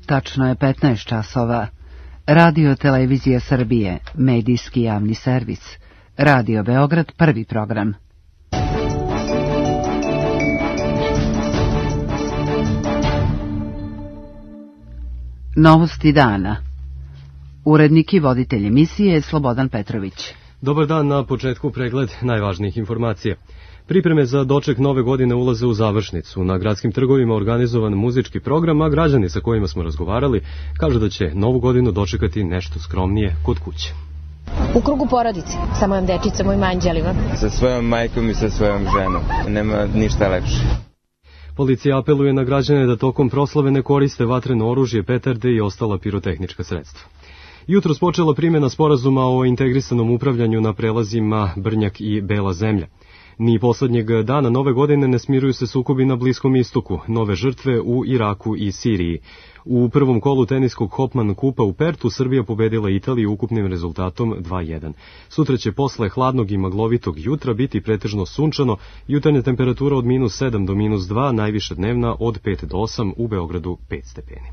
Tačno je 15 časova. Radio Televizija Srbije, medijski javni servis. Radio Beograd, prvi program. Novosti dana. Urednik i voditelj emisije je Slobodan Petrović. Dobar dan, na početku pregled najvažnijih informacija. Pripreme za doček nove godine ulaze u završnicu. Na gradskim trgovima organizovan muzički program, a građani sa kojima smo razgovarali kažu da će novu godinu dočekati nešto skromnije kod kuće. U krugu porodice, sa mojom dečicom, mojim anđelima. Sa svojom majkom i sa svojom ženom. Nema ništa lepše. Policija apeluje na građane da tokom proslave ne koriste vatreno oružje, petarde i ostala pirotehnička sredstva. Jutros počela primjena sporazuma o integrisanom upravljanju na prelazima Brnjak i Bela zemlja. Ni poslednjeg dana nove godine ne smiruju se sukobi na Bliskom istoku, nove žrtve u Iraku i Siriji. U prvom kolu teniskog Hopman kupa u Pertu Srbija pobedila Italiju ukupnim rezultatom 2:1. Sutra će posle hladnog i maglovitog jutra biti pretežno sunčano, jutarnja temperatura od -7 do -2, najviša dnevna od 5 do 8, u Beogradu 5 stepeni.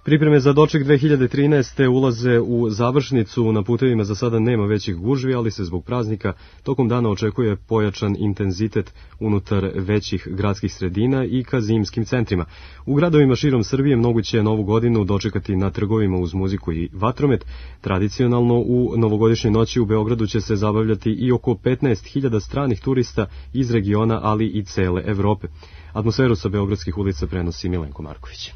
Pripreme za doček 2013. ulaze u završnicu. Na putevima za sada nema većih gužvi, ali se zbog praznika tokom dana očekuje pojačan intenzitet unutar većih gradskih sredina i ka zimskim centrima. U gradovima širom Srbije moguće je novu godinu dočekati na trgovima uz muziku i vatromet. Tradicionalno u novogodišnjoj noći u Beogradu će se zabavljati i oko 15.000 stranih turista iz regiona, ali i cele Evrope. Atmosferu sa beogradskih ulica prenosi Milenko Marković.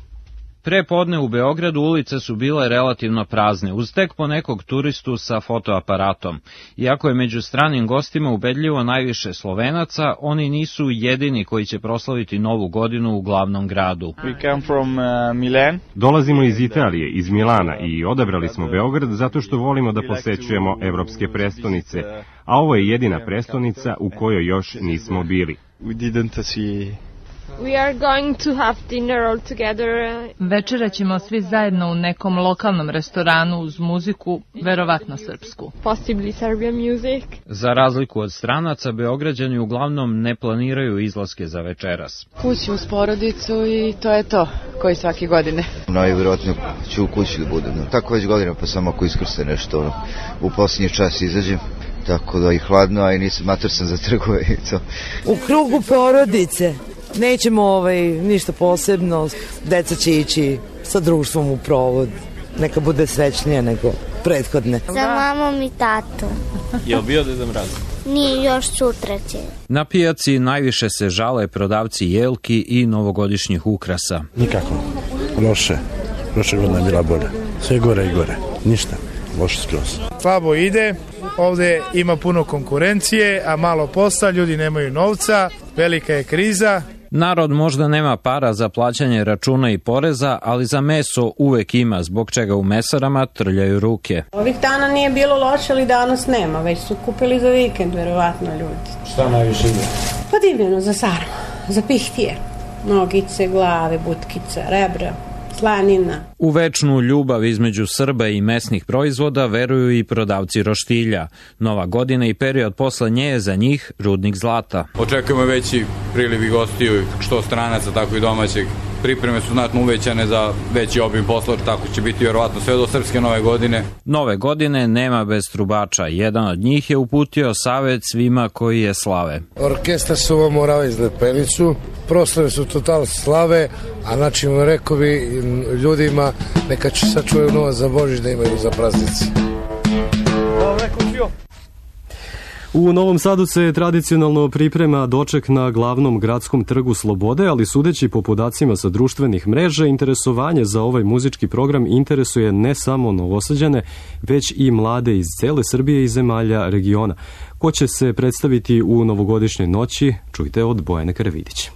Pre podne u Beogradu ulice su bile relativno prazne, uz tek po nekog turistu sa fotoaparatom. Iako je među stranim gostima ubedljivo najviše Slovenaca, oni nisu jedini koji će proslaviti novu godinu u glavnom gradu. Dolazimo iz Italije, iz Milana, i odabrali smo Beograd zato što volimo da posećujemo evropske prestonice, a ovo je jedina prestonica u kojoj još nismo bili. We are going to have dinner all together. Večera ćemo svi zajedno u nekom lokalnom restoranu uz muziku, verovatno srpsku. Possibly Serbian music. Za razliku od stranaca, Beograđani uglavnom ne planiraju izlaske za večeras. Kući uz porodicu i to je to, koji svake godine. Najvjerojatnije ću u kući da budem. Tako već godina, pa samo ako iskrste nešto, u posljednji čas izađem. Tako da i hladno, a i nisam mater sam za trgove i to. U krugu porodice. Nećemo ništa posebno, deca će ići sa društvom u provod, neka bude srećnije nego prethodne. Za mamom i tatu. Je li bio Deda Mraz? Nije, još sutra će. Na pijaci najviše se žale prodavci jelki i novogodišnjih ukrasa. Nikako, loše godina je bila bolja, sve gore i gore, ništa, loše skroz. Slabo ide, ovde ima puno konkurencije, a malo posla, ljudi nemaju novca, velika je kriza. Narod možda nema para za plaćanje računa i poreza, ali za meso uvek ima, zbog čega u mesarama trljaju ruke. Ovih dana nije bilo loše, ali danas nema, već su kupili za vikend, verovatno ljudi. Šta najviše ide? Pa divljeno za sarmu, za pihtije, nogice, glave, butkica, rebra, slanina. U večnu ljubav između Srba i mesnih proizvoda veruju i prodavci roštilja. Nova godina i period posle nje je za njih rudnik zlata. Očekujemo veći priliv gostiju, što stranaca, tako i domaćeg. Pripreme su znatno uvećane za veći obim posla, tako će biti vjerovatno sve do srpske nove godine. Nove godine nema bez trubača. Jedan od njih je uputio savet svima koji je slave. Orkestar se ovo morava izgled penicu, proslave su total slave, a znači rekao bi ljudima neka će sačuvaju novac za Božić da imaju za praznici. U Novom Sadu se tradicionalno priprema doček na glavnom gradskom trgu Slobode, ali sudeći po podacima sa društvenih mreža, interesovanje za ovaj muzički program interesuje ne samo Novosađane, već i mlade iz cele Srbije i zemalja regiona. Ko će se predstaviti u novogodišnjoj noći, čujte od Bojane Karavidića.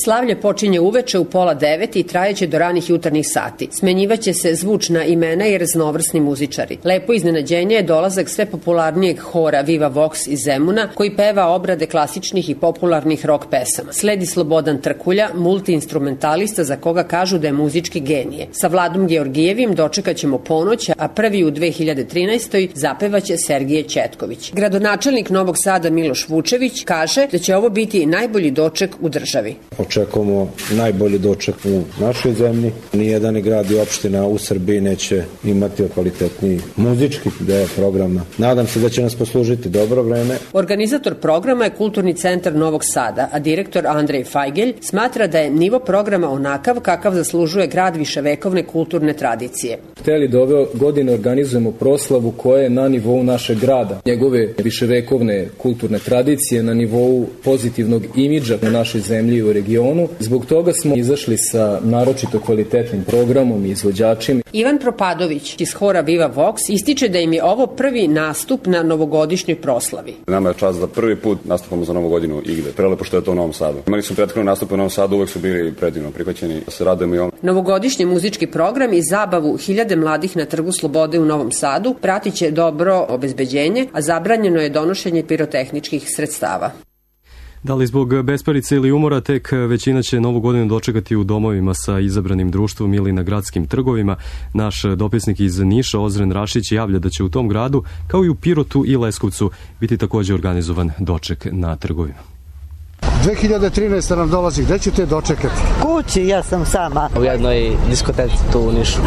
Slavlje počinje uveče u 8:30 i trajeće do ranih jutarnjih sati. Smenjivaće se zvučna imena i raznovrsni muzičari. Lepo iznenađenje je dolazak sve popularnijeg hora Viva Vox iz Zemuna, koji peva obrade klasičnih i popularnih rock pesama. Sledi Slobodan Trkulja, multiinstrumentalista za koga kažu da je muzički genije. Sa Vladom Georgijevim dočekat ćemo ponoć, a prvi u 2013. zapevaće Sergije Ćetković. Gradonačelnik Novog Sada Miloš Vučević kaže da će ovo biti najbolji doček u državi. očekujemo najbolji doček u našoj zemlji. Nijedan grad i opština u Srbiji neće imati kvalitetniji muzički deo programa. Nadam se da će nas poslužiti dobro vreme. Organizator programa je Kulturni centar Novog Sada, a direktor Andrej Fajgelj smatra da je nivo programa onakav kakav zaslužuje grad viševekovne kulturne tradicije. Hteli da ove godine organizujemo proslavu koja je na nivou našeg grada. Njegove viševekovne kulturne tradicije, na nivou pozitivnog imidža u našoj zemlji i u regionu. Zbog toga smo izašli sa naročito kvalitetnim programom i izvođačima. Ivan Propadović iz hora Viva Vox ističe da im je ovo prvi nastup na novogodišnjoj proslavi. Nama je čast da prvi put nastupamo za Novu godinu igde. Prelepo što je to u Novom Sadu. Imali smo prethodne nastupe u Novom Sadu, uvek su bili predivno prihvaćeni. Da se radujemo i ovom. Novogodišnji muzički program i zabavu hiljade mladih na Trgu Slobode u Novom Sadu pratit će dobro obezbeđenje, a zabranjeno je donošenje pirotehničkih sredstava. Da li zbog besparice ili umora, tek većina će Novu godinu dočekati u domovima sa izabranim društvom ili na gradskim trgovima. Naš dopisnik iz Niša, Ozren Rašić, javlja da će u tom gradu, kao i u Pirotu i Leskovcu, biti također organizovan doček na trgovima. 2013. nam dolazi, gde ćete dočekati? Kući, ja sam sama. U jednoj diskoteci tu u Nišu.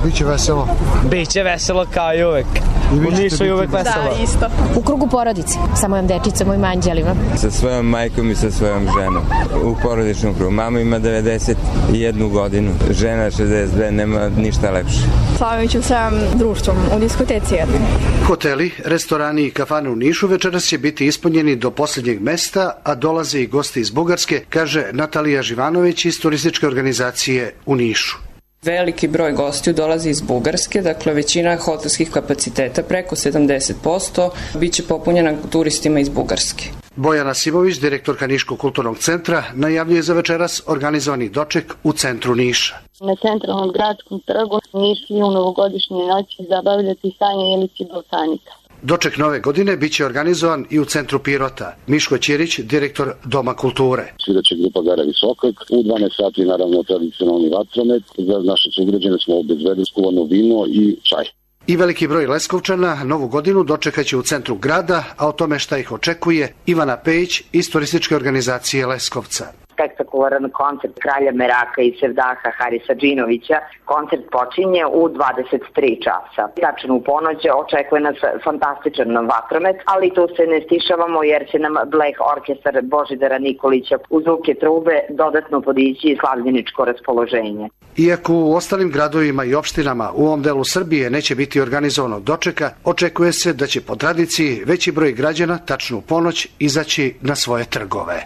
Biće veselo? Biće veselo kao i uvek. U Nišu je uvek veselo. Da, isto. U krugu porodice, sa mojom dečicom, mojim anđelima. Sa svojom majkom i sa svojom ženom. U porodičnom krugu. Mama ima 91 godinu, žena 62, nema ništa lepše. Slavit ću sa društvom u diskoteci jednom. Hoteli, restorani i kafane u Nišu večeras će biti ispunjeni do posljednjeg mesta, a dolaze i gosti iz Bugarske, kaže Natalija Živanović iz turističke organizacije u Nišu. Veliki broj gostiju dolazi iz Bugarske, dakle većina hotelskih kapaciteta, preko 70%, biće popunjena turistima iz Bugarske. Bojana Simović, direktorka Niškog kulturnog centra, najavljuje za večeras organizovani doček u centru Niša. Na centralnom gradskom trgu Nišli u novogodišnje noći zabavljati Sanja Jelić i Balkanika. Doček nove godine biće organizovan i u centru Pirota. Miško Ćirić, direktor Doma kulture. Svidaće grupa Gara Visokak, u 12 sati naravno tradicionalni vatromet, za naše sugrađane smo obezbedili skuvano vino i čaj. I veliki broj Leskovčana Novu godinu dočekaće u centru grada, a o tome šta ih očekuje Ivana Pejić iz turističke organizacije Leskovca. Spektakularan koncert kralja Meraka i Sevdaha Harisa Džinovića. Koncert počinje u 23 časa. Tačno u ponoć očekuje nas fantastičan vatromet, ali tu se ne stišavamo jer će nam Bleh orkestar Božidara Nikolića uz zvuke trube dodatno podići slavljeničko raspoloženje. Iako u ostalim gradovima i opštinama u ovom delu Srbije neće biti organizovano dočeka, očekuje se da će po tradiciji veći broj građana tačno u ponoć izaći na svoje trgove.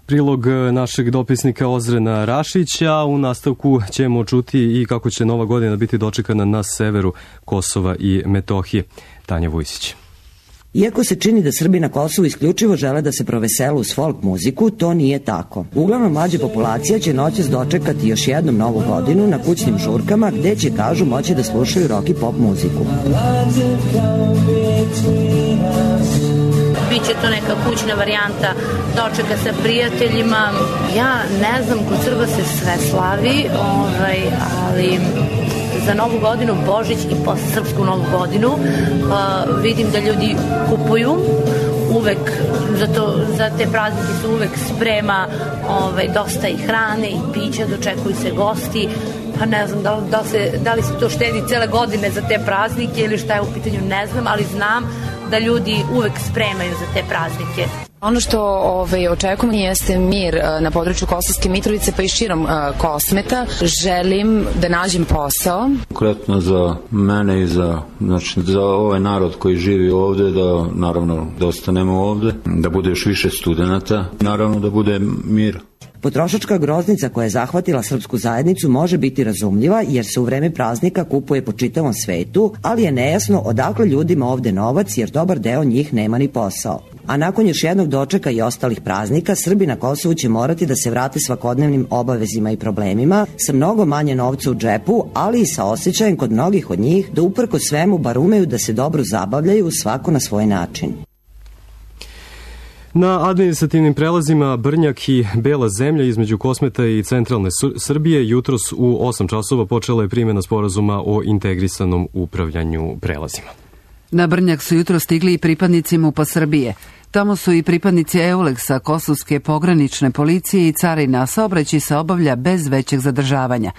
Prilog našeg dopisnika Ozrena Rašića. U nastavku ćemo čuti i kako će Nova godina biti dočekana na severu Kosova i Metohije. Tanja Vujsić. Iako se čini da Srbi na Kosovu isključivo žele da se proveselu uz folk muziku, to nije tako. Uglavnom mlađa populacija će noćas dočekati još jednom Novu godinu na kućnim žurkama gde će, kažu, moći da slušaju rock i pop muziku. Biće to neka kućna varijanta dočeka sa prijateljima. Ja ne znam, kod Srba se sve slavi, ali za Novu godinu, Božić i posle Srpsku Novu godinu vidim da ljudi kupuju uvek, za te praznike su uvek sprema dosta i hrane i pića, dočekuju se gosti, pa ne znam da li se to štedi cele godine za te praznike ili šta je u pitanju, ne znam, ali znam da ljudi uvek spremaju za te praznike. Ono što očekujemo jeste mir na području Kosovske Mitrovice pa i širom Kosmeta. Želim da nađem posao. Konkretno za mene i za ovaj narod koji živi ovde, da ostanemo ovde, da bude još više studenata, naravno da bude mir. Potrošačka groznica koja je zahvatila srpsku zajednicu može biti razumljiva jer se u vreme praznika kupuje po čitavom svetu, ali je nejasno odakle ljudima ovde novac jer dobar deo njih nema ni posao. A nakon još jednog dočeka i ostalih praznika, Srbi na Kosovu će morati da se vrate svakodnevnim obavezima i problemima sa mnogo manje novca u džepu, ali i sa osjećajem kod mnogih od njih da uprko svemu bar umeju da se dobro zabavljaju svako na svoj način. Na administrativnim prelazima Brnjak i Bela zemlja između Kosmeta i centralne Srbije jutros u 8 časova počela je primjena sporazuma o integrisanom upravljanju prelazima. Na Brnjak su jutro stigli i pripadnici MUP-a Srbije. Tamo su i pripadnici EULEX-a, Kosovske pogranične policije i carina, saobraćaj se obavlja bez većeg zadržavanja.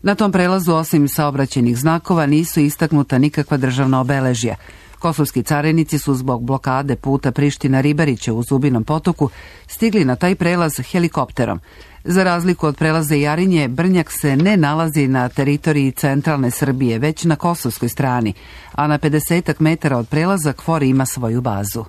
Na tom prelazu, osim saobraćajnih znakova, nisu istaknuta nikakva državna obeležja. Kosovski carinici su zbog blokade puta Priština-Ribariće u Zubinom potoku stigli na taj prelaz helikopterom. Za razliku od prelaza Jarinje, Brnjak se ne nalazi na teritoriji centralne Srbije, već na kosovskoj strani, a na 50 metara od prelaza KFOR ima svoju bazu.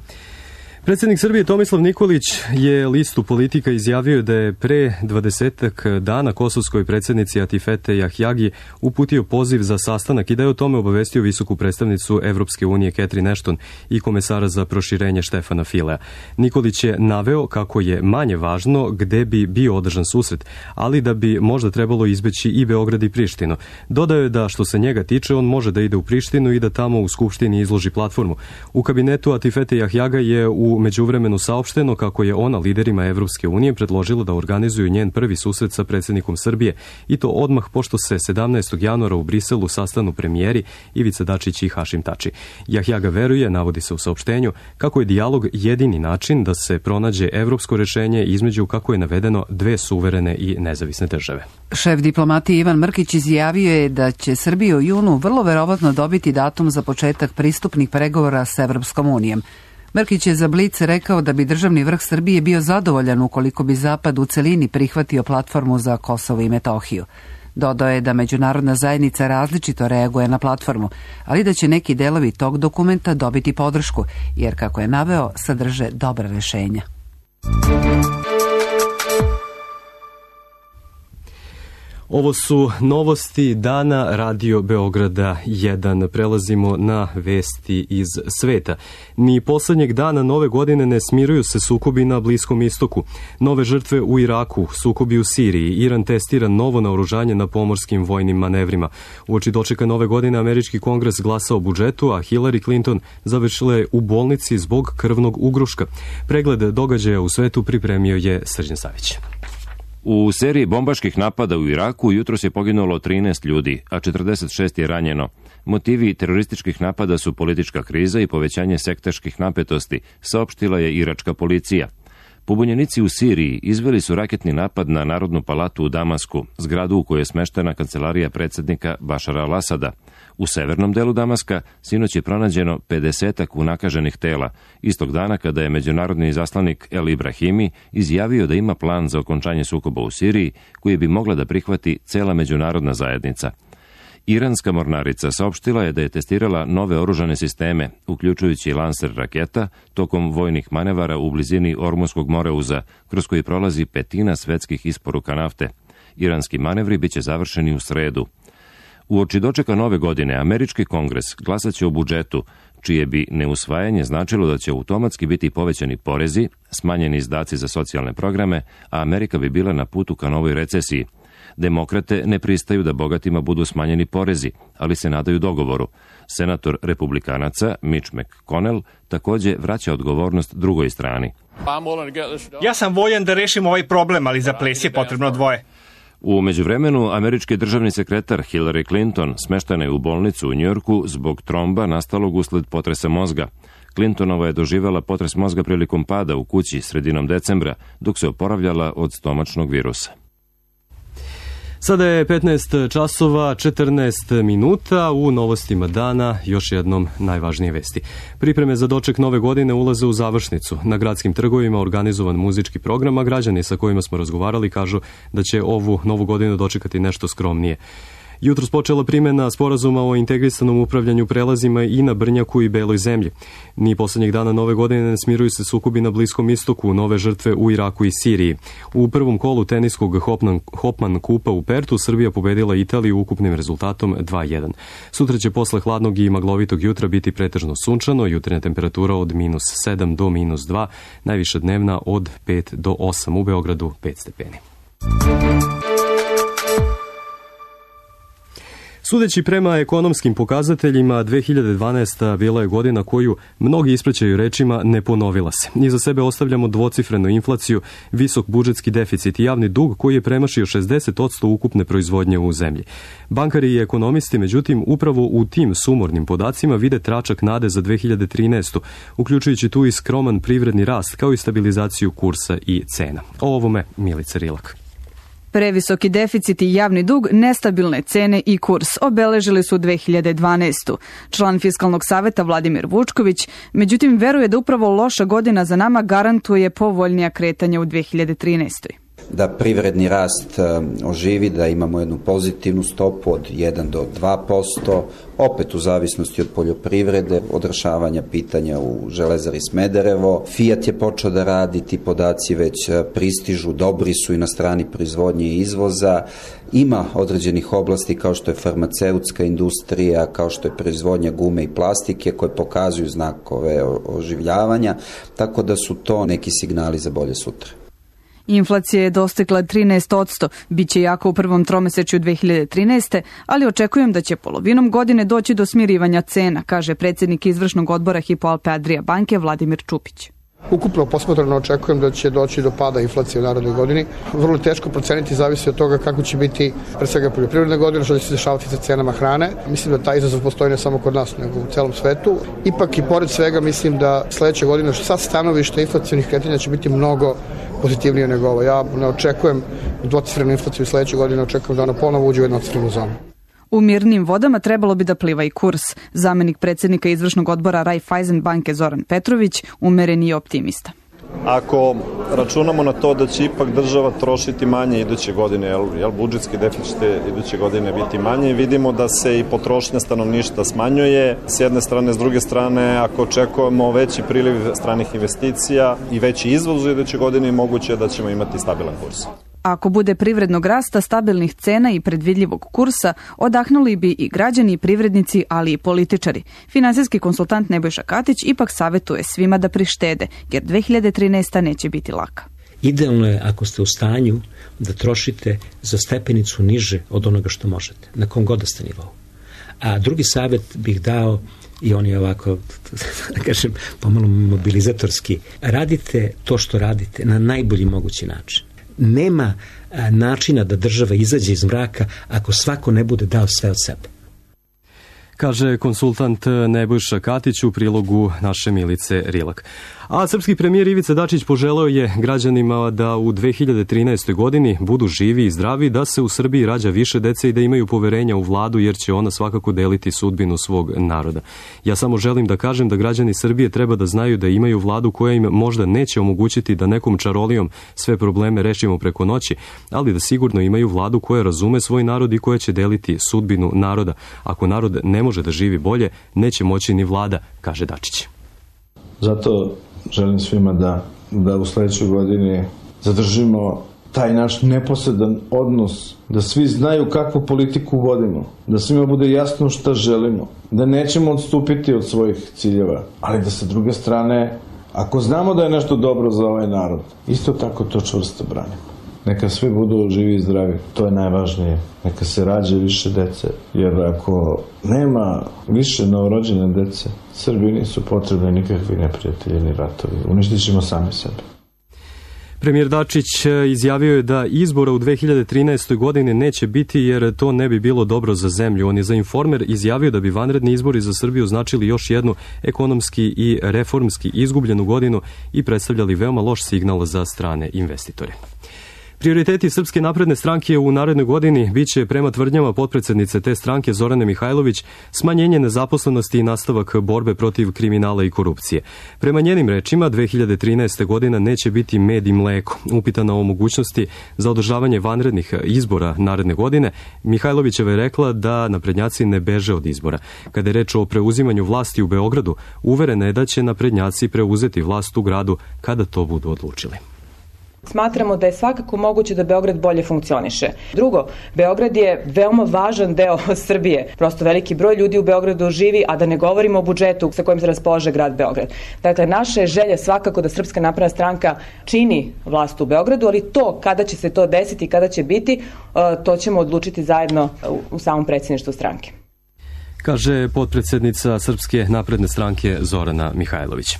Predsjednik Srbije Tomislav Nikolić je listu Politika izjavio da je pre 20 dana kosovskoj predsjednici Atifete Jahjagi uputio poziv za sastanak i da je o tome obavestio visoku predstavnicu Evropske unije Catherine Ashton i komesara za proširenje Štefana Filea. Nikolić je naveo kako je manje važno gde bi bio održan susret, ali da bi možda trebalo izbeći i Beograd i Prištinu. Dodao je da što se njega tiče on može da ide u Prištinu i da tamo u Skupštini izloži platformu. U kabinetu Atifete Jahjaga je u međuvremenu saopšteno kako je ona liderima Evropske unije predložila da organizuju njen prvi susret sa predsjednikom Srbije i to odmah pošto se 17. januara u Briselu sastanu premijeri Ivica Dačić i Hašim Tači. Jahjaga veruje, navodi se u saopštenju, kako je dijalog jedini način da se pronađe evropsko rešenje između, kako je navedeno, dve suverene i nezavisne države. Šef diplomatije Ivan Mrkić izjavio je da će Srbija u junu vrlo verovatno dobiti datum za početak pristupnih pregovora s Evropskom unijom. Mrkić je za Blic rekao da bi državni vrh Srbije bio zadovoljan ukoliko bi Zapad u celini prihvatio platformu za Kosovo i Metohiju. Dodao je da međunarodna zajednica različito reaguje na platformu, ali da će neki delovi tog dokumenta dobiti podršku, jer, kako je naveo, sadrže dobra rešenja. Ovo su novosti dana Radio Beograda 1. Prelazimo na vesti iz sveta. Ni poslednjeg dana nove godine ne smiruju se sukobi na Bliskom istoku. Nove žrtve u Iraku, sukobi u Siriji, Iran testira novo naoružanje na pomorskim vojnim manevrima. Uoči dočeka nove godine američki kongres glasa o budžetu, a Hillary Clinton završila je u bolnici zbog krvnog ugruška. Pregled događaja u svetu pripremio je Srđan Savić. U seriji bombaških napada u Iraku jutros je poginulo 13 ljudi, a 46 je ranjeno. Motivi terorističkih napada su politička kriza i povećanje sektaških napetosti, saopštila je iračka policija. Pobunjenici u Siriji izveli su raketni napad na Narodnu palatu u Damasku, zgradu u kojoj je smeštena kancelarija predsjednika Bašara al-Asada. U severnom delu Damaska sinoć je pronađeno 50 unakaženih tela, istog dana kada je međunarodni izaslanik El Ibrahimi izjavio da ima plan za okončanje sukoba u Siriji, koji bi mogla da prihvati cela međunarodna zajednica. Iranska mornarica saopštila je da je testirala nove oružane sisteme, uključujući lanser raketa, tokom vojnih manevara u blizini Ormunskog moreuza, kroz koji prolazi petina svetskih isporuka nafte. Iranski manevri biće završeni u sredu. Uoči dočeka nove godine, američki kongres glasaće o budžetu, čije bi neusvajanje značilo da će automatski biti povećani porezi, smanjeni izdaci za socijalne programe, a Amerika bi bila na putu ka novoj recesiji. Demokrate ne pristaju da bogatima budu smanjeni porezi, ali se nadaju dogovoru. Senator republikanaca Mitch McConnell takođe vraća odgovornost drugoj strani. Ja sam voljan da rešim ovaj problem, ali za ples je potrebno dvoje. U međuvremenu, američki državni sekretar Hillary Clinton smeštena je u bolnicu u Njujorku zbog tromba nastalog usled potresa mozga. Clintonova je doživela potres mozga prilikom pada u kući sredinom decembra, dok se oporavljala od stomačnog virusa. Sada je 15 časova 14 minuta, u novostima dana još jednom najvažnije vesti. Pripreme za doček nove godine ulaze u završnicu. Na gradskim trgovima organizovan muzički program, a građani sa kojima smo razgovarali kažu da će ovu novu godinu dočekati nešto skromnije. Jutros počela primjena sporazuma o integrisanom upravljanju prelazima i na Brnjaku i Beloj zemlji. Ni poslednjeg dana nove godine ne smiruju se sukobi na Bliskom istoku, nove žrtve u Iraku i Siriji. U prvom kolu teniskog Hopman kupa u Pertu Srbija pobedila Italiju ukupnim rezultatom 2:1. Sutra će posle hladnog i maglovitog jutra biti pretežno sunčano, jutrena temperatura od -7 do -2, najviša dnevna od 5 do 8, u Beogradu 5 stepeni. Sudeći prema ekonomskim pokazateljima, 2012. bila je godina koju mnogi ispraćaju rečima ne ponovila se. Iza sebe ostavljamo dvocifrenu inflaciju, visok budžetski deficit i javni dug koji je premašio 60% ukupne proizvodnje u zemlji. Bankari i ekonomisti, međutim, upravo u tim sumornim podacima vide tračak nade za 2013. uključujući tu i skroman privredni rast kao i stabilizaciju kursa i cena. O ovome Milica Rilak. Previsoki deficit i javni dug, nestabilne cene i kurs obeležili su 2012. Član Fiskalnog saveta Vladimir Vučković, međutim, veruje da upravo loša godina za nama garantuje povoljnija kretanja u 2013. Da privredni rast oživi, da imamo jednu pozitivnu stopu od 1 do 2%, opet u zavisnosti od poljoprivrede, od rešavanja pitanja u Železari Smederevo. Fiat je počeo da radi, ti podaci već pristižu, dobri su i na strani proizvodnje i izvoza. Ima određenih oblasti kao što je farmaceutska industrija, kao što je proizvodnja gume i plastike koje pokazuju znakove oživljavanja, tako da su to neki signali za bolje sutra. Inflacija je dostigla 13%, bit će jako u prvom tromesečju 2013. ali očekujem da će polovinom godine doći do smirivanja cena, kaže predsjednik izvršnog odbora Hypo Alpe Adria banke Vladimir Čupić. Ukupno posmatrano očekujem da će doći do pada inflacije u narednoj godini. Vrlo teško proceniti, zavisi od toga kako će biti pre svega poljoprivredna godina, što će se dešavati sa cenama hrane. Mislim da taj izazov postoji ne samo kod nas, nego u celom svetu. Ipak i pored svega mislim da sledeće godine sa stanovišta inflacionih kretanja će biti mnogo pozitivnije nego ovo. Ja ne očekujem dvocifrenu inflaciju sledeće godine, očekujem da ona ponovo uđe u jednocifrenu zonu. U mirnim vodama trebalo bi da pliva i kurs. Zamenik predsjednika izvršnog odbora Raiffeisen banke Zoran Petrović umeren i optimista. Ako računamo na to da će ipak država trošiti manje iduće godine, jel budžetski deficit iduće godine biti manje, vidimo da se i potrošnja stanovništva smanjuje s jedne strane, s druge strane ako očekujemo veći priliv stranih investicija i veći izvoz u iduće godine, moguće je da ćemo imati stabilan kurs. Ako bude privrednog rasta, stabilnih cena i predvidljivog kursa, odahnuli bi i građani i privrednici, ali i političari. Finansijski konsultant Nebojša Katić ipak savjetuje svima da prištede, jer 2013. neće biti laka. Idealno je ako ste u stanju da trošite za stepenicu niže od onoga što možete, na kom god da ste nivou. A drugi savjet bih dao, i on je ovako, da kažem, pomalo mobilizatorski. Radite to što radite na najbolji mogući način. Nema načina da država izađe iz mraka ako svako ne bude dao sve od sebe. Kaže konsultant Nebojša Katić u prilogu naše Milice Rilak. A srpski premijer Ivica Dačić poželeo je građanima da u 2013. godini budu živi i zdravi, da se u Srbiji rađa više dece i da imaju poverenja u vladu, jer će ona svakako deliti sudbinu svog naroda. Ja samo želim da kažem da građani Srbije treba da znaju da imaju vladu koja im možda neće omogućiti da nekom čarolijom sve probleme rešimo preko noći, ali da sigurno imaju vladu koja razume svoj narod i koja će deliti sudbinu naroda. Ako narod ne može da živi bolje, neće moći ni vlada, kaže Dačić. Zato želim svima da u sledećoj godini zadržimo taj naš neposredan odnos, da svi znaju kakvu politiku vodimo, da svima bude jasno šta želimo, da nećemo odstupiti od svojih ciljeva, ali da sa druge strane, ako znamo da je nešto dobro za ovaj narod, isto tako to čvrsto branimo. Neka svi budu živi i zdravi, to je najvažnije. Neka se rađe više dece, jer ako nema više novorođene dece, Srbiji nisu potrebni nikakvi neprijatelji ni ratovi. Uništit ćemo sami sebe. Premijer Dačić izjavio je da izbora u 2013. godini neće biti jer to ne bi bilo dobro za zemlju. On je za Informer izjavio da bi vanredni izbori za Srbiju značili još jednu ekonomski i reformski izgubljenu godinu i predstavljali veoma loš signal za strane investitore. Prioriteti Srpske napredne stranke u narednoj godini biće, prema tvrdnjama potpredsednice te stranke Zorane Mihajlović, smanjenje nezaposlenosti i nastavak borbe protiv kriminala i korupcije. Prema njenim rečima, 2013. godina neće biti med i mleko. Upitana o mogućnosti za održavanje vanrednih izbora naredne godine, Mihajlovićeva je rekla da naprednjaci ne beže od izbora. Kada je reč o preuzimanju vlasti u Beogradu, uverena je da će naprednjaci preuzeti vlast u gradu kada to budu odlučili. Smatramo da je svakako moguće da Beograd bolje funkcioniše. Drugo, Beograd je veoma važan deo Srbije. Prosto veliki broj ljudi u Beogradu živi, a da ne govorimo o budžetu sa kojim se raspolaže grad Beograd. Dakle, naša je želja svakako da Srpska napredna stranka čini vlast u Beogradu, ali to kada će se to desiti i kada će biti, to ćemo odlučiti zajedno u samom predsjedništvu stranke. Kaže potpredsednica Srpske napredne stranke Zorana Mihajlović.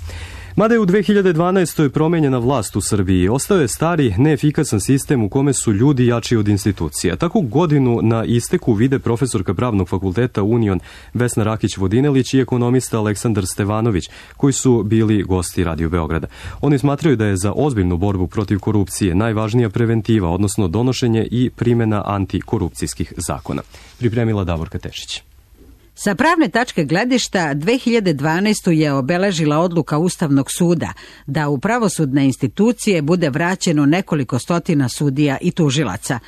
Mada je u 2012. promenjena vlast u Srbiji, ostao je stari, neefikasan sistem u kome su ljudi jači od institucija. Tako godinu na isteku vide profesorka Pravnog fakulteta Union Vesna Rakić-Vodinelić i ekonomista Aleksandar Stevanović, koji su bili gosti Radio Beograda. Oni smatraju da je za ozbiljnu borbu protiv korupcije najvažnija preventiva, odnosno donošenje i primjena antikorupcijskih zakona. Pripremila Davorka Tešić. Sa pravne tačke gledišta 2012. je obeležila odluka Ustavnog suda da u pravosudne institucije bude vraćeno nekoliko stotina sudija i tužilaca.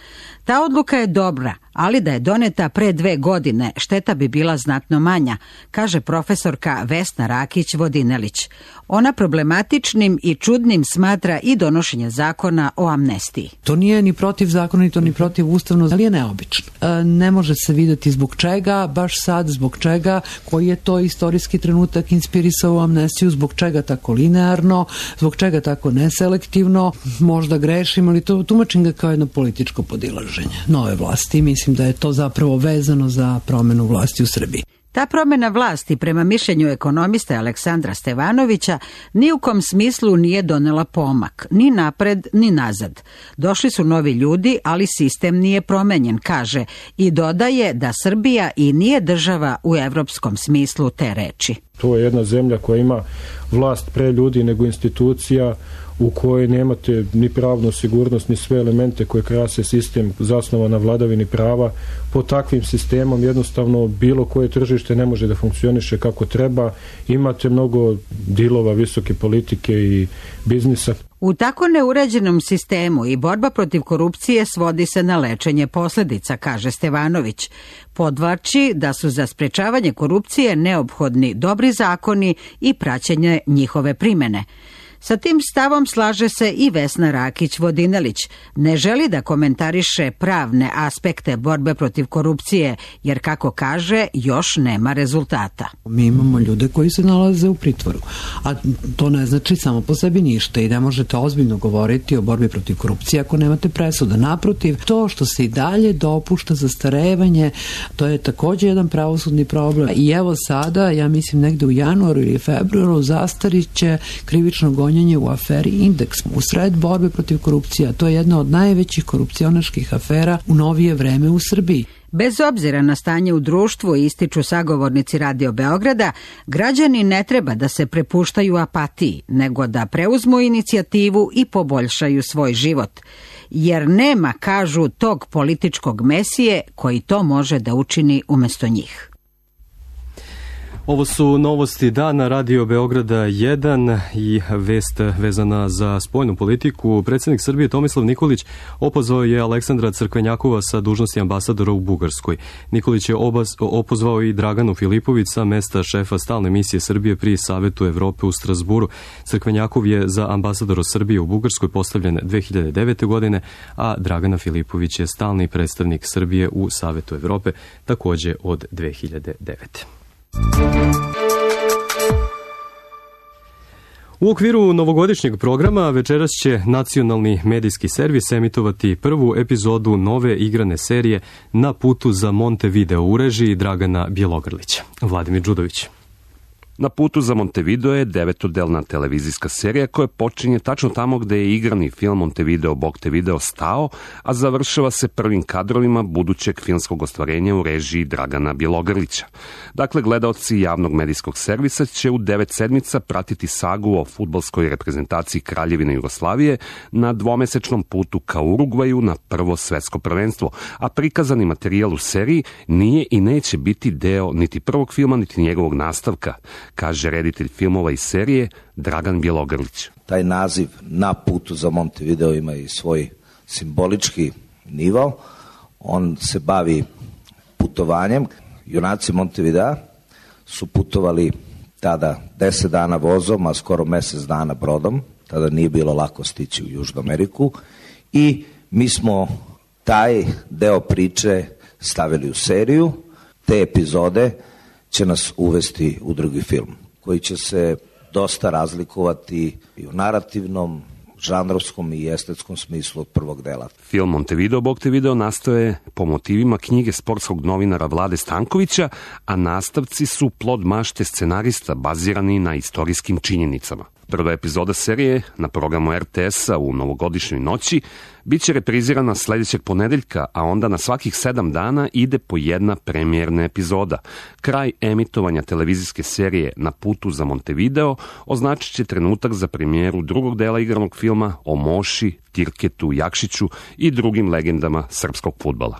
Ta odluka je dobra, ali da je doneta pre 2 godine, šteta bi bila znatno manja, kaže profesorka Vesna Rakić-Vodinelić. Ona problematičnim i čudnim smatra i donošenje zakona o amnestiji. To nije ni protivzakonito, ni protivustavno, ali je neobično. Ne može se vidjeti zbog čega, baš sad zbog čega, koji je to istorijski trenutak inspirisao amnestiju, zbog čega tako linearno, zbog čega tako neselektivno, možda grešim, ali to tumačim ga kao jedno političko podilaženje nove vlasti. Mislim da je to zapravo vezano za promenu vlasti u Srbiji. Ta promjena vlasti, prema mišljenju ekonomiste Aleksandra Stevanovića, ni u kom smislu nije donela pomak, ni napred, ni nazad. Došli su novi ljudi, ali sistem nije promenjen, kaže, i dodaje da Srbija i nije država u evropskom smislu te reči. To je jedna zemlja koja ima vlast pre ljudi nego institucija, u kojoj nemate ni pravnu sigurnost, ni sve elemente koje krase sistem zasnovan na vladavini prava. Po takvim sistemom jednostavno bilo koje tržište ne može da funkcioniše kako treba. Imate mnogo dilova visoke politike i biznisa. U tako neuređenom sistemu i borba protiv korupcije svodi se na lečenje posljedica, kaže Stevanović. Podvlači da su za sprečavanje korupcije neophodni dobri zakoni i praćenje njihove primene. Sa tim stavom slaže se i Vesna Rakić-Vodinelić. Ne želi da komentariše pravne aspekte borbe protiv korupcije, jer kako kaže, još nema rezultata. Mi imamo ljude koji se nalaze u pritvoru, a to ne znači samo po sebi ništa i ne možete ozbiljno govoriti o borbi protiv korupcije ako nemate presuda. Naprotiv, to što se i dalje dopušta zastarevanje, to je također jedan pravosudni problem. I evo sada, ja mislim negde u januaru ili februaru, zastarit će krivično gonjenje u aferi Indeks u sred borbe protiv korupcije. To je jedna od najvećih korupcionaških afera u novije vreme u Srbiji. Bez obzira na stanje u društvu, ističu sagovornici Radio Beograda, građani ne treba da se prepuštaju apatiji, nego da preuzmu inicijativu i poboljšaju svoj život. Jer nema, kažu, tog političkog mesije koji to može da učini umjesto njih. Ovo su novosti dana Radio Beograda 1 i vest vezana za spoljnu politiku. Predsjednik Srbije Tomislav Nikolić opozvao je Aleksandra Crkvenjakova sa dužnosti ambasadora u Bugarskoj. Nikolić je opozvao i Draganu Filipović sa mesta šefa stalne misije Srbije pri Savetu Evrope u Strasburu. Crkvenjakov je za ambasadora Srbije u Bugarskoj postavljen 2009. godine, a Dragana Filipović je stalni predstavnik Srbije u Savetu Evrope također od 2009. U okviru novogodišnjeg programa večeras će nacionalni medijski servis emitovati prvu epizodu nove igrane serije Na putu za Montevideo u režiji Dragana Bjelogrlića. Vladimir Đudović. Na putu za Montevideo je 9-delna televizijska serija koja počinje tačno tamo gde je igrani film Montevideo Bog te video stao, a završava se prvim kadrovima budućeg filmskog ostvarenja u režiji Dragana Bjelogrlića. Dakle, gledaoci javnog medijskog servisa će u 9 sedmica pratiti sagu o fudbalskoj reprezentaciji Kraljevine Jugoslavije na dvomesečnom putu ka Urugvaju na prvo svetsko prvenstvo, a prikazani materijal u seriji nije i neće biti deo niti prvog filma, niti njegovog nastavka, kaže reditelj filmova iz serije Dragan Bjelogrlić. Taj naziv Na putu za Montevideo ima i svoj simbolički nivo. On se bavi putovanjem. Junaci Montevidea su putovali tada 10 dana vozom, a skoro mjesec dana brodom. tada nije bilo lako stići u Južnu Ameriku i mi smo taj deo priče stavili u seriju. Te epizode će nas uvesti u drugi film koji će se dosta razlikovati i u narativnom, žanrovskom i estetskom smislu od prvog dela. Film Montevideo Bog te video nastoje po motivima knjige sportskog novinara Vlade Stankovića, a nastavci su plod mašte scenarista bazirani na istorijskim činjenicama. Prva epizoda serije na programu RTS-a u novogodišnjoj noći biće reprizirana sledećeg ponedeljka, a onda na svakih 7 dana ide po jedna premijerna epizoda. Kraj emitovanja televizijske serije Na putu za Montevideo označit će trenutak za premijeru drugog dela igranog filma o Moši, Tirketu, Jakšiću i drugim legendama srpskog fudbala.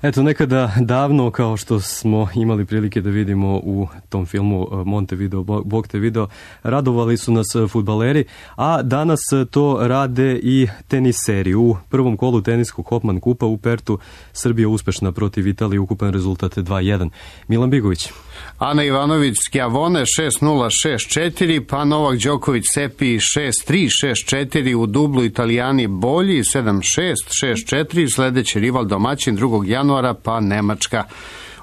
Eto, nekada davno, kao što smo imali prilike da vidimo u tom filmu Montevideo, Bog te video, radovali su nas fudbaleri, a danas to rade i teniseri. U prvom kolu teniskog Hopman kupa u Pertu Srbija uspešna protiv Italije, ukupan rezultat 2-1. Milan Bigović. Ana Ivanović Skjavone 6-0, 6-4, pa Novak Đoković Sepi 6-3, 6-4, u dublu Italijani bolji 7-6, 6-4, sledeći rival domaćin 2. januara pa Nemačka.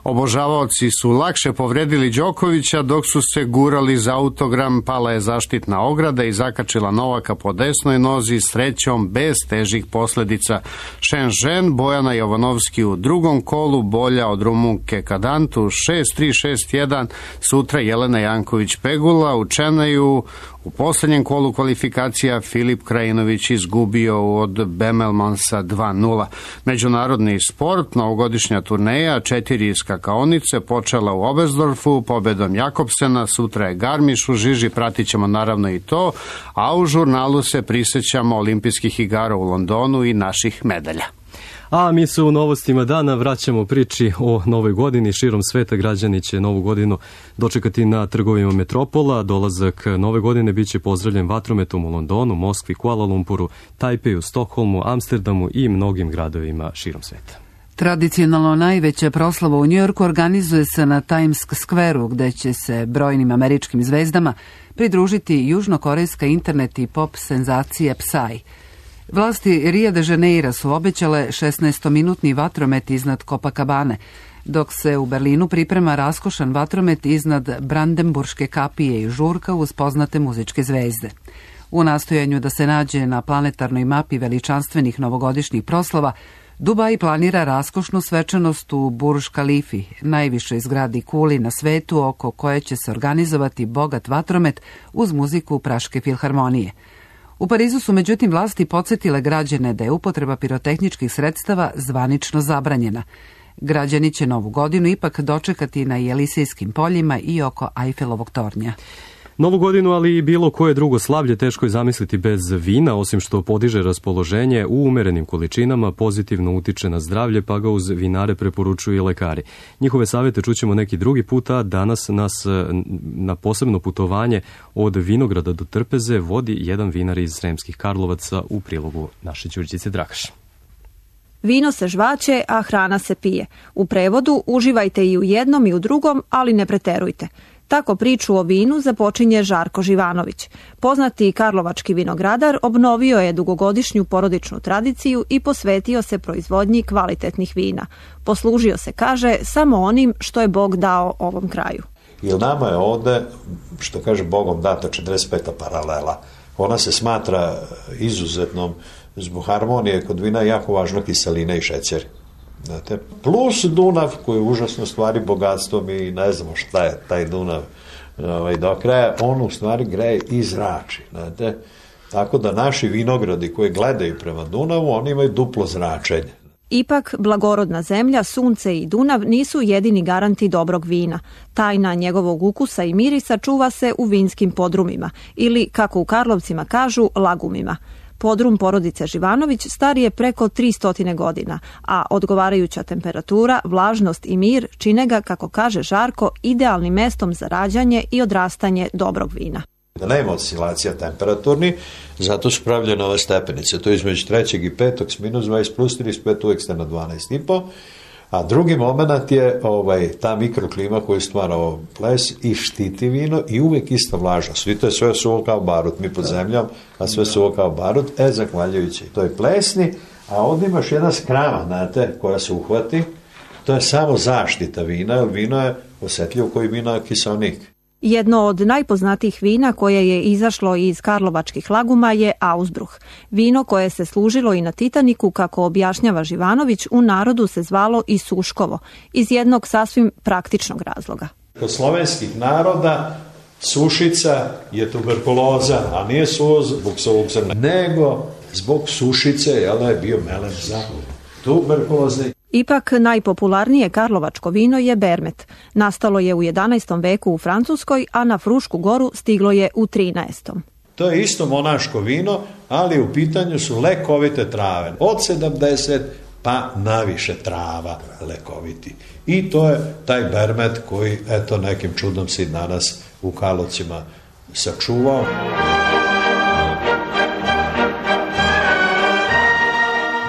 Obožavaoci su lakše povredili Đokovića dok su se gurali za autogram, pala je zaštitna ograda i zakačila Novaka po desnoj nozi, srećom bez težih posledica. Shenzhen Bojana Jovanovski u drugom kolu bolja od Rumunke Kadantu 6-3, 6-1, sutra Jelena Janković Pegula u Čenaju. U poslednjem kolu kvalifikacija Filip Krajinović izgubio od Bemelmansa 2-0. Međunarodni sport, novogodišnja turneja, 4 skakaonice, počela u Oberstdorfu pobedom Jakobsena, sutra je Garmiš u žiži, pratit ćemo naravno i to, a u žurnalu se prisećamo olimpijskih igara u Londonu i naših medalja. A mi se u novostima dana vraćamo priči o novoj godini. Širom sveta građani će novu godinu dočekati na trgovima metropola. Dolazak nove godine biće pozdravljen vatrometom u Londonu, Moskvi, Kuala Lumpuru, Tajpeju, Stokholmu, Amsterdamu i mnogim gradovima širom sveta. Tradicionalno najveća proslava u Njujorku organizuje se na Times Square-u, gde će se brojnim američkim zvezdama pridružiti južnokorejska internet i pop senzacija Psy. Vlasti Rio de Janeira su obećale 16-minutni vatromet iznad Copacabane, dok se u Berlinu priprema raskošan vatromet iznad Brandenburške kapije i žurka uz poznate muzičke zvezde. U nastojanju da se nađe na planetarnoj mapi veličanstvenih novogodišnjih proslava, Dubai planira raskošnu svečanost u Burj Khalifi, najvišoj zgradi kuli na svetu oko koje će se organizovati bogat vatromet uz muziku Praške filharmonije. U Parizu su međutim vlasti podsjetile građane da je upotreba pirotehničkih sredstava zvanično zabranjena. Građani će novu godinu ipak dočekati na Jelisejskim poljima i oko Ajfelovog tornja. Novu godinu, ali i bilo koje drugo slavlje teško je zamisliti bez vina, osim što podiže raspoloženje u umerenim količinama, pozitivno utiče na zdravlje, pa ga uz vinare preporučuju i lekari. Njihove savjete čućemo neki drugi put, a danas nas na posebno putovanje od vinograda do trpeze vodi jedan vinar iz Sremskih Karlovaca u prilogu naše Đurđice Drakaš. Vino se žvaće, a hrana se pije. U prevodu uživajte i u jednom i u drugom, ali ne preterujte. Tako priču o vinu započinje Žarko Živanović. Poznati karlovački vinogradar obnovio je dugogodišnju porodičnu tradiciju i posvetio se proizvodnji kvalitetnih vina. Poslužio se, kaže, samo onim što je Bog dao ovom kraju. Jer nama je ovde, što kaže Bogom data 45. paralela. Ona se smatra izuzetnom zbog harmonije kod vina jako važno kiselina i šećer. Znate, plus Dunav koji je užasno stvari bogatstvom i ne znamo šta je taj Dunav do kraja, on u stvari greje i zrači. Znate, tako da naši vinogradi koji gledaju prema Dunavu, oni imaju duplo zračenje. Ipak, blagorodna zemlja, sunce i Dunav nisu jedini garanti dobrog vina. Tajna njegovog ukusa i mirisa čuva se u vinskim podrumima ili, kako u Karlovcima kažu, lagumima. Podrum porodice Živanović star je preko 300 godina, a odgovarajuća temperatura, vlažnost i mir čine ga, kako kaže Žarko, idealnim mestom za rađanje i odrastanje dobrog vina. Da nema oscilacija temperaturni, zato su pravljene ove stepenice. To je između 3. i 5. s minus 20 plus 35, uvek ste na 12,5. A drugi moment je ta mikroklima koju stvara ples i štiti vino i uvek ista vlaža. Svi to je sve suvo kao barut, mi pod zemljom, a sve suvo kao barut, zahvaljujući toj plesni, a ovdje imaš jedna skrama, znate, koja se uhvati, to je samo zaštita vina, jer vino je osjetljivo koji vina kiselnik. Jedno od najpoznatijih vina koje je izašlo iz karlovačkih laguma je Ausbruch. Vino koje se služilo i na Titaniku, kako objašnjava Živanović, u narodu se zvalo i Suškovo, iz jednog sasvim praktičnog razloga. Kod slovenskih naroda sušica je tuberkuloza, a nije zbog suvog zrna, nego zbog sušice, je bio melem za tuberkuloze. Ipak najpopularnije karlovačko vino je Bermet. Nastalo je u 11. veku u Francuskoj, a na Frušku goru stiglo je u 13. To je isto monaško vino, ali u pitanju su lekovite trave. Od 70 pa naviše trava lekoviti. I to je taj Bermet koji, eto, nekim čudom se danas u Karlovcima sačuvao.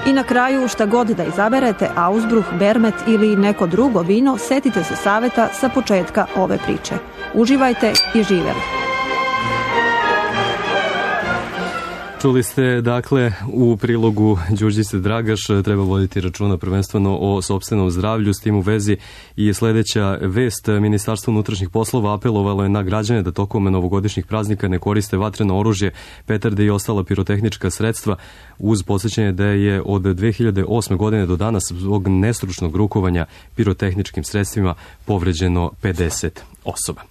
I na kraju, šta god da izaberete, Ausbruch, Bermet ili neko drugo vino, setite se saveta sa početka ove priče. Uživajte i živeli! Čuli ste, dakle, u prilogu Đurđice Dragaš, treba voditi računa prvenstveno o sopstvenom zdravlju. S tim u vezi i sljedeća vest. Ministarstvo unutrašnjih poslova apelovalo je na građane da tokom novogodišnjih praznika ne koriste vatreno oružje, petarde i ostala pirotehnička sredstva, uz podsjećanje da je od 2008. godine do danas zbog nestručnog rukovanja pirotehničkim sredstvima povređeno 50 osoba.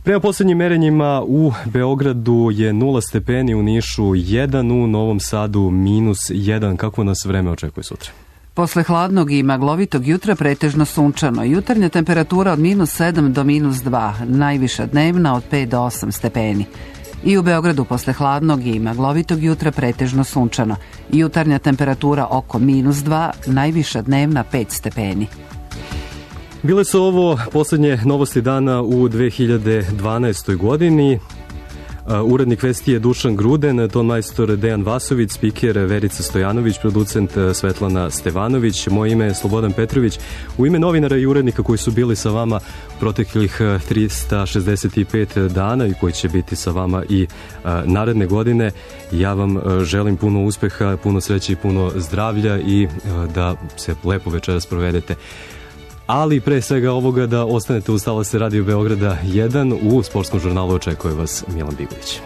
Prema posljednjim merenjima u Beogradu je 0 stepeni, u Nišu 1, u Novom Sadu -1. Kako nas vreme očekuje sutra? Posle hladnog i maglovitog jutra pretežno sunčano. Jutarnja temperatura od -7 do -2, najviša dnevna od 5 do 8 stepeni. I u Beogradu posle hladnog i maglovitog jutra pretežno sunčano. Jutarnja temperatura oko -2, najviša dnevna 5 stepeni. Bile su ovo posljednje novosti dana u 2012. godini. Urednik vesti je Dušan Gruden, tonmajstor Dejan Vasović, spiker Verica Stojanović, producent Svetlana Stevanović, moje ime je Slobodan Petrović. U ime novinara i urednika koji su bili sa vama proteklih 365 dana i koji će biti sa vama i naredne godine, ja vam želim puno uspeha, puno sreće i puno zdravlja i da se lepo večeras provedete. Ali pre svega ovoga da ostanete uz talase Radio Beograda 1, u sportskom žurnalu očekuje vas Milan Bigović.